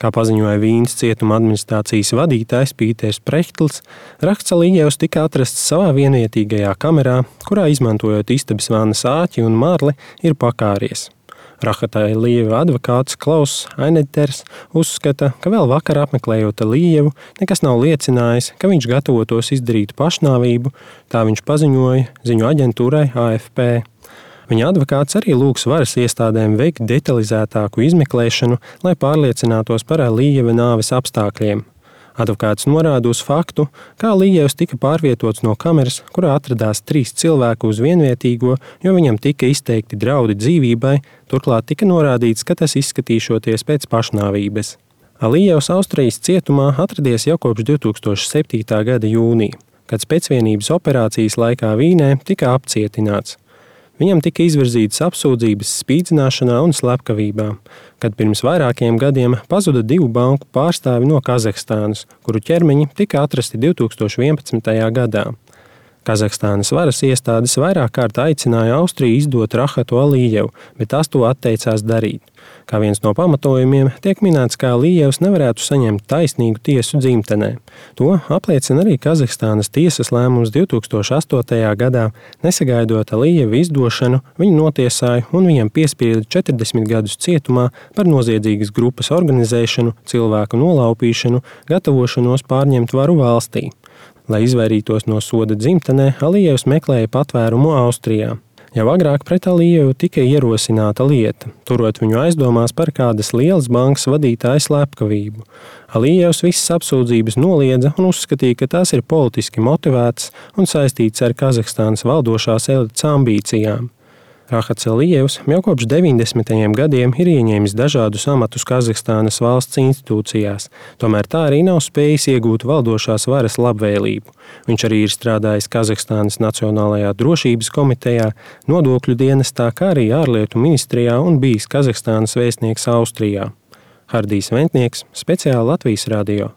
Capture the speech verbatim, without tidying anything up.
Kā paziņoja Vīnes cietuma administrācijas vadītājs Pīters Prehtls, raksts Alijevs tika atrasts savā vienvietīgajā kamerā, kurā izmantojot istabas vannas āķi un marli ir pakāries. Rahata Alijeva advokāts Klauss Ainedters uzskata, ka vēl vakar apmeklējot Alijevu, nekas nav liecinājis, ka viņš gatavotos izdarīt pašnāvību, tā viņš paziņoja ziņu aģentūrai A F P. Viņa advokāts arī lūgs varas iestādēm veikt detalizētāku izmeklēšanu, lai pārliecinātos par Alijeva nāves apstākļiem. Advokāts norāda uz faktu, ka Alijevs tika pārvietots no kameras, kurā atradās trīs cilvēku uz vienvietīgo, jo viņam tika izteikti draudi dzīvībai, turklāt tika norādīts, ka tas izskatīšoties pēc pašnāvības. Alijevs Austrijas cietumā atradies jau kopš divi tūkstoši septītā gada jūnija, kad pēcvienības operācijas laikā Vīnē tika apcietināts. Viņam tika izvirzītas apsūdzības spīdzināšanā un slepkavībā, kad pirms vairākiem gadiem pazuda divu banku pārstāvi no Kazahstānas, kuru ķermeņi tika atrasti divi tūkstoši vienpadsmitajā gadā. Kazahstānas varas iestādes vairāk kārt aicināja Austriju izdot Rahatu Alijevu, bet tās to atteicās darīt. Kā viens no pamatojumiem tiek minēts, ka Alijevs nevarētu saņemt taisnīgu tiesu dzimtenē. To apliecina arī Kazahstānas tiesas lēmums divi tūkstoši astotajā gadā, nesagaidot Alijevu izdošanu, viņu notiesāja un viņam piesprieda četrdesmit gadus cietumā par noziedzīgas grupas organizēšanu, cilvēku nolaupīšanu, gatavošanos pārņemt varu valstī. Lai izvairītos no soda dzimtenē, Alijevs meklēja patvērumu Austrijā. Jau agrāk pret Alijevu tika ierosināta lieta, turot viņu aizdomās par kādas lielas bankas vadītāja slepkavību. Alijevs visas apsūdzības noliedza un uzskatīja, ka tās ir politiski motivētas un saistītas ar Kazahstānas valdošās elites ambīcijām. Rahats Alijevs jau kopš deviņdesmitajiem gadiem ir ieņēmis dažādus amatus Kazahstānas valsts institūcijās, tomēr tā arī nav spējis iegūt valdošās varas labvēlību. Viņš arī ir strādājis Kazahstānas Nacionālajā drošības komitejā, nodokļu dienestā, kā arī ārlietu ministrijā un bijis Kazahstānas vēstnieks Austrijā. Hardijs Ventnieks, speciāli Latvijas radio.